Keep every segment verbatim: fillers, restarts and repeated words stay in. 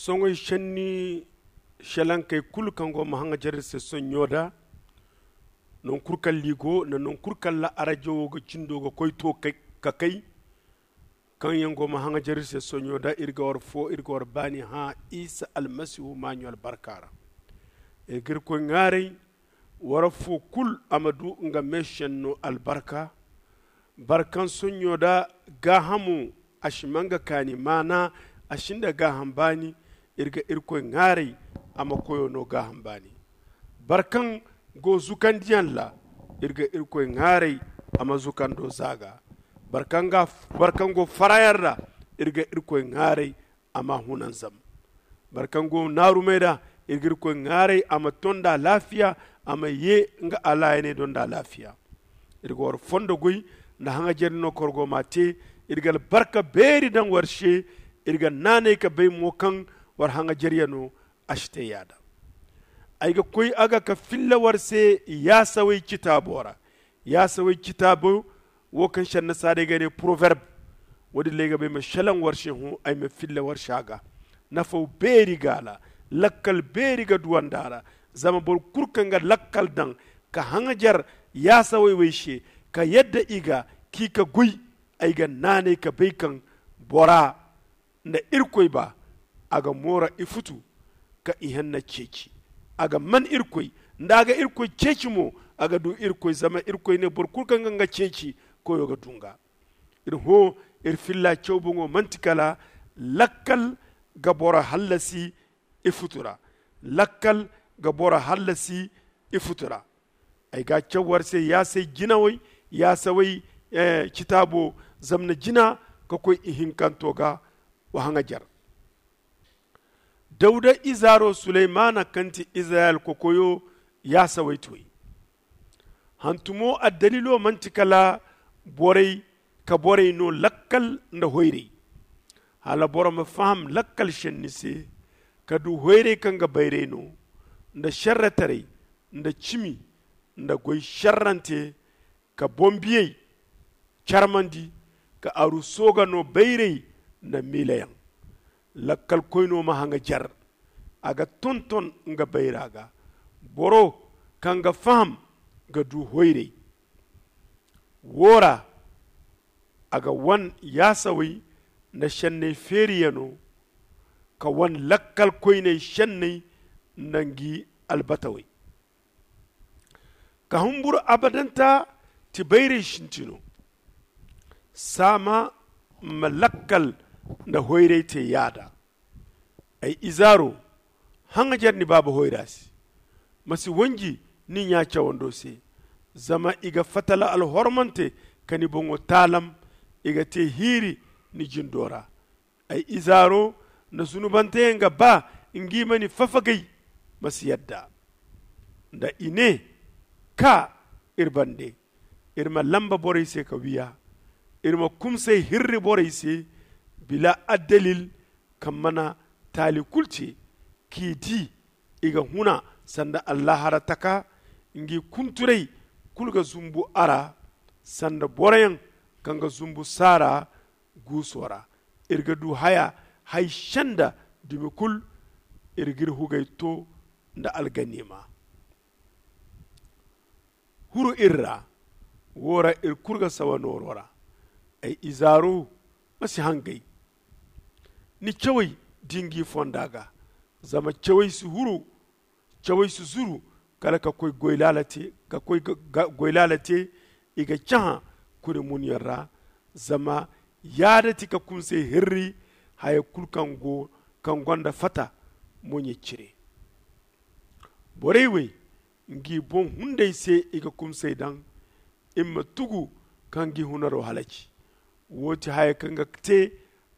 Soŋay šenni šelankey kulu kaŋ go ma haŋajer iri se soɲɲo da. Noŋ kulu kaŋ liigo nda noŋ kulu kaŋ ra arajo wo ga cindo ga koy to ka kay, kaŋ yaŋ go ma haŋajer iri se soɲɲo da, iri ga war fo iri ga war baani hã isa almasihu maaɲo albarka ra. Iri ga irkoy ŋaaray war fo kulu a ma du nga meešenno albarka. Boro kaŋ soɲɲo da gaahamo a si ma nga kaani maana, a si nda gaaham baani. Iri ga irkoy ŋaaray a ma koyo no gaaham baani. Boro kaŋ go zukandiyaŋ ra, iri ga irkoy ŋaaray a ma zukando zaaga. Boro kaŋ go farayaŋ ra, iri ga irkoy ŋaaray a ma hunanzam. Boro kaŋ go naarumey ra, iri ga irkoy ŋaaray a ma to nda alaafiya, a ma ye nga alaayaney do nda alaafiya. Iri ga war fondo goy nda haŋajer no kaŋ war go m'a te. Iri ga albarka beeri daŋ war se. Iri ga naanay ka bay mo kaŋ war haŋajer yaŋo a si te yaada. Ay ga koy a ga ka filla war se yaasawey citaabo ra. Yaasawey citaabo wo kaŋ se annasaarey ga ne poroverb. Wo- din ra ay ga ba ay ma šelaŋ war se hõ ay ma filla war se a ga. Nafaw beeri ga a ra. Lakkal beeri ga duw'a nda a ra. Zama boro kulu kaŋ ga lakkal daŋ ka haŋajer yaasawey wey se, ka yadda i ga k'i ka goy, ay ga naanay ka bay kaŋ bora nda irkoy ba, a ga moora ifutu ka ihenna ceeci. A ga man irkoy nda a ga irkoy ceeci mo, a ga du irkoy zama irkoy ne boro kulu kaŋ ga nga ceeci koyo ga du nga. Iri hõ, iri filla caw boŋo manti kala lakkal ga boro hallasi ifutu ra. Lakkal ga boro hallasi ifutu ra. Ay ga a caw war se yaasay jinawey, yaasawey citaabo zamna jina ka koy ihinkanto ga. Wa haŋajer dawda izaaro suleymaana kaŋ ti izirayel kokoyo yaasawey ti way. Hantumo addaliilo manti kala borey ka borey no lakkal nda hoyray. Hala boro ma faham lakkal šenni se ka du hoyray kaŋ ga bayray no, nda šerretaray, nda cimi, nda goy šerrante, ka boŋ biyey carmandi, ka aru sooga no bayray nda miilayaŋ. Lakkalkoyno ma haŋajer, a ga tonton nga bayra ga. Boro kaŋ ga faham ga du hoyray. Wo ra a ga wan yaasawey nda šenney feeriyano, ka wan lakkalkoyney šenney nda ngi albatawey. Ka humburu abadanta ti bayray sintino. Saama ma lakkal nda hoyray te yaada. Ay izaaro, haŋajer ni baaba hoyra se. Ma si wanji ni ɲa cawando se. Zama i ga fatala alhormante ka ni boŋo taalam. I ga te hiiri ni jindo ra. Ay izaaro, nda zunubanteyaŋ ga ba ngi ma ni fafagay. Ma si yadda nda i ne, kaa iri bande. Iri ma lamba borey se ka wiya. Iri ma kumsay hirri borey se bila addalil, kaŋ mana taali kulu te k'i di. I ga huna sanda allahara taka. Ngi kunturay kulu ga zumbu a ra sanda boroyaŋ kaŋ ga zumbu saara guuso ra. Iri ga du haya hay senda dumi kulu. Iri g'iri hugay to nda alganiima. Huru iri ra. Wo ra iri kulu ga sawa nooro ra. Ay izaaro, ma si hangay. Ni cawey di ngi fonda ga. Zama cawey si huru cawey si zuru kala ka koy goy laala te. I ga cahã kuri munyaŋ ra. Zama yaada ti ka kumsay hirri haya kulu kaŋ go kaŋ gonda fata moɲey cire. Borey wey ngi boŋ hunday se i ga kumsay daŋ. I ma tugu ka ngi hunaro halaci. Wo ti haya kaŋ ga te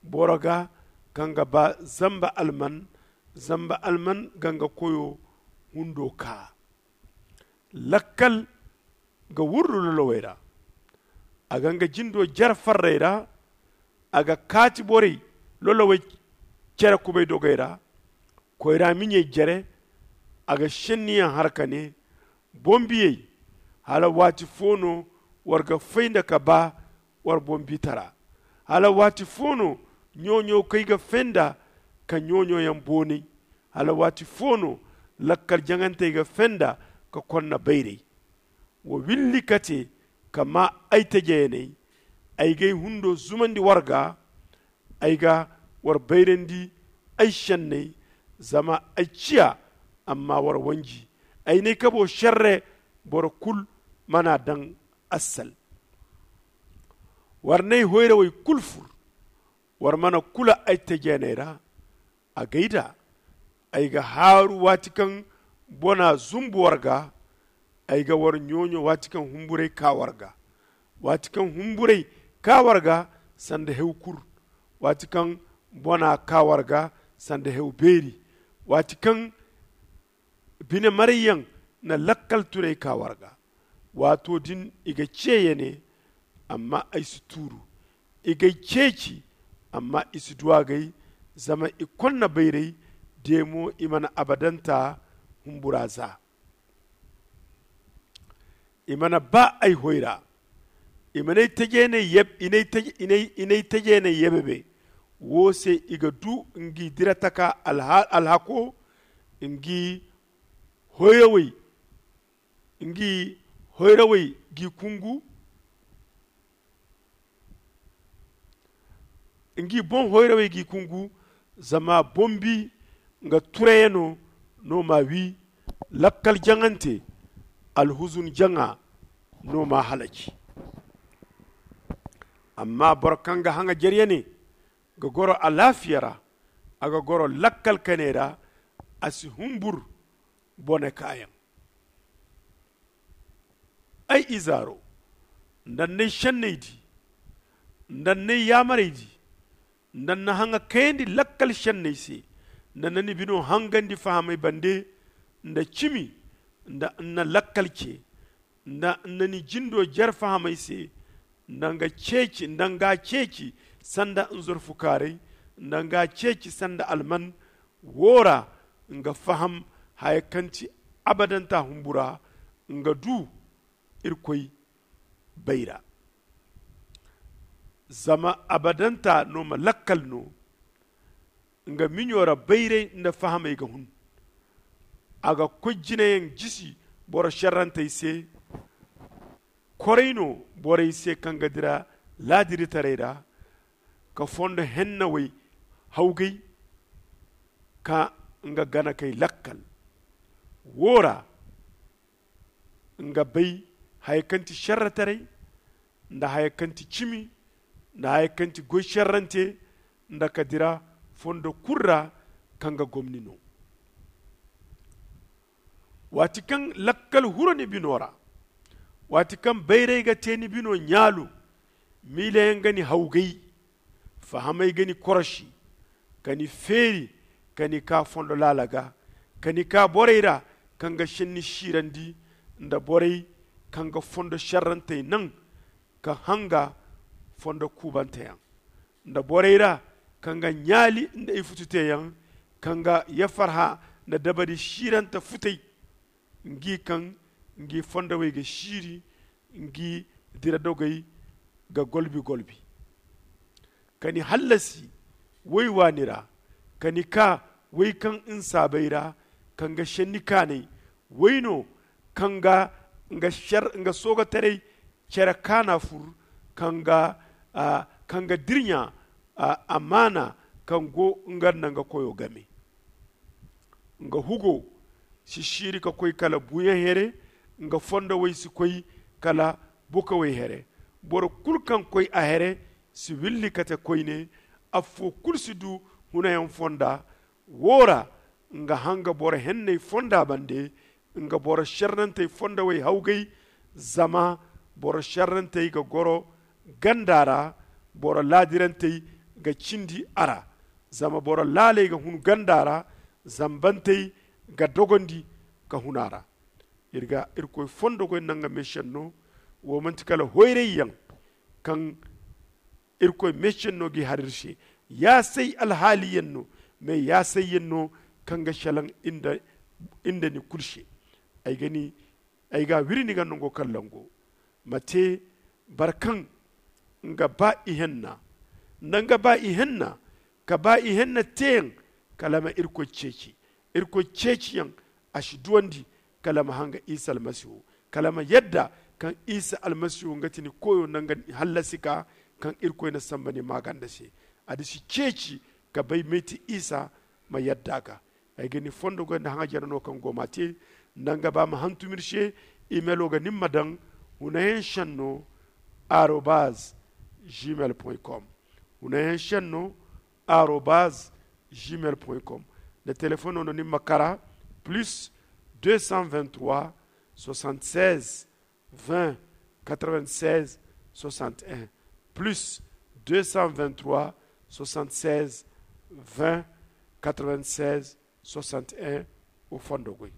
boro ga kaŋ ga ba zamba alman. Zamba alman ga nga koyo hundo kaa. Lakkal ga wurru lolowey ra. A ga nga jindo jare farrey ra. A ga kaati borey lolowey cere kubay dogey ra. Koyra miɲey jare. A ga šenniyaŋ har ka ne, boŋ biyey, hala waati fo no war ga fay nda ka ba war boŋ bitara? Hala waati fo no ɲo-ɲo kaŋ i ga fay nda ka ɲooɲooyaŋ boonay. Hala waati fo no lakkal jaŋantey ga fenda ka konna bayray. Wa willi ka te ka maa ay tajayaney. Ay g'ay hundo zumandi war gaa. Ay ga war bayrandi ay šenney. Zama ay ciya amma war wanji. Ay n'ay kabo šerre. Boro kul mana daŋ assal. War n'ay hoyrawey kul fur. War mana kula ay tajayaney ra. A gay da ay ga haaru waati kaŋ bona zumbu war gaa. Ay ga war ɲooɲo waati kaŋ humburay kaa war gaa. Waati kaŋ humburay kaa war gaa sanda hew kur. Waati kaŋ bona kaa war gaa sanda hew beeri. Waati kaŋ bine marayyaŋ na lakkal tunay kaa war gaa. Waato din i ga ce ya ne. Amma ay si tuuru. I g'ay ceeci. Amma i si du a g'ay. Zama i konna bayray. De mo i mana abadanta humbura za. I mana ba ay hoyra. I man'ay tajeeney yeb i n'ay tajeeney yebebe. Wo se i ga du ngi dira taka alhako. Ngi hoyrawey ngi hoyrawey g'i kungu. Ngi boŋ hoyrawey g'i kungu. Zama bombi nga turayano no m'a wi. Lakkal jaŋante alhuzun jaŋa no m'a halaci. Amma boro kaŋ ga haŋa jereyane ga goro alaafiya ra. A ga goro lakkal kaney ra. A si humbur bone kaayaŋ. Ay izaaro, nda n'ay šenney di, nda n'ay yaamarey di, nda n'na haŋa kayandi lakkal šenney se, nda n'na ni bino hangandi fahamey bande, nda cimi, nda n'na lakkal ce, nda n'na ni jindo jare fahamey se, nda nga ceeci nda nga ceeci sanda nzorfukaaray, nda nga ceeci sanda alman. Wo ra nga faham haya kaŋ ti abadanta humbura. Nga du irkoy bayra. Zama abadanta no ma lakkal no. Nga miɲo ra bayray nda fahamey ga hun. A ga koy jinayaŋ jisi boro šerrantey se. Koray no borey se kaŋ ga dira laadiritaray ra ka fondo hennawey hawgay ka nga ganakey lakkal. Wo ra nga bay haya kaŋ ti šerretaray, nda haya kaŋ ti cimi, nda haya kaŋ ti goy šerrante, nda ka dira fondo kul ra kaŋ ga gomni no. Waati kaŋ lakkal huro ni bino ra, waati kaŋ bayray ga te ni bino ɲaalu, miilayaŋ ga ni hawgay, fahamey ga ni korosi, ka ni feeri ka ni ka fondo laala ga, ka ni ka borey ra kaŋ ga šenni siirandi, nda borey kaŋ ga fondo šerrantey naŋ ka hanga fondo kuubanteyaŋ, nda borey ra kaŋ ga ɲaali nda ifututeyaŋ, kaŋ ga yafarha nda dabari siirante futay. Ngi kaŋ ngi fondowey ga siiri, ngi dira dogey ga golbi-golbi. Ka ni hallasi woy waani ra, ka ni ka woy kaŋ nsaabey ra, kaŋ ga šenni kaanay woy no, kaŋ ga nga soogotaray cere kaana fur, kaŋ ga dirɲa amaana kaŋ go nga nda nga koyo game. Nga hugo si siiri ka koy kala buuyaŋ here, nga fondowey si koy kala bukawey here. Boro kulu kaŋ koy a here si willi ka te koyne. Affo kulu si du hunayaŋ fonda. Wo ra nga hanga boro henney fonda bande, nga boro šerrantey fondowey hawgay. Zama boro šerrantey ga goro ganda ra, boro laadirantey ga cindi a ra. Zama boro laaley ga hun ganda ra, zambantey ga dogondi ka hun a ra. Iri ga irkoy fondo goy nda nga meesenno. Wo manti kala hoyrayyaŋ kaŋ irkoy meesenno g'i har iri se. Yaasay alhaaliyaŋ no, mais yaasayyaŋ no kaŋ ga selaŋ iri nda ni kulu se. Ay ga a wiri ni ga nango kaŋ lango ma te boro kaŋ nga ba ihenna nda nga ba ihenna ka ba ihenna teeyaŋ. kala ma irkoy ceeci. Irkoy ceeciyaŋ, a si duwandi kala ma hanga isa almasihu, kala ma yadda kaŋ isa almasihu nga ti ni koyo nanga hallasi ka, kaŋ irkoy na samba ni maaganda se. A di si ceeci ka bay meeti isa ma yadda ga. Ay ga ni fondo goy nda haŋa jare no kaŋ go ma te. Nda nga ba ma hantum iri se, imelo ga nin ma daŋ hunayaŋ senno arobaz gmail com. Hunayaŋ senno arobaz gmail com. Nda telefono no nin ma kara plus deux cent vingt trois soixante seize vingt quatre vingt seize soixante un, plus deux cent vingt trois soixante seize vingt quatre vingt seize soixante un. Wo fondo goy.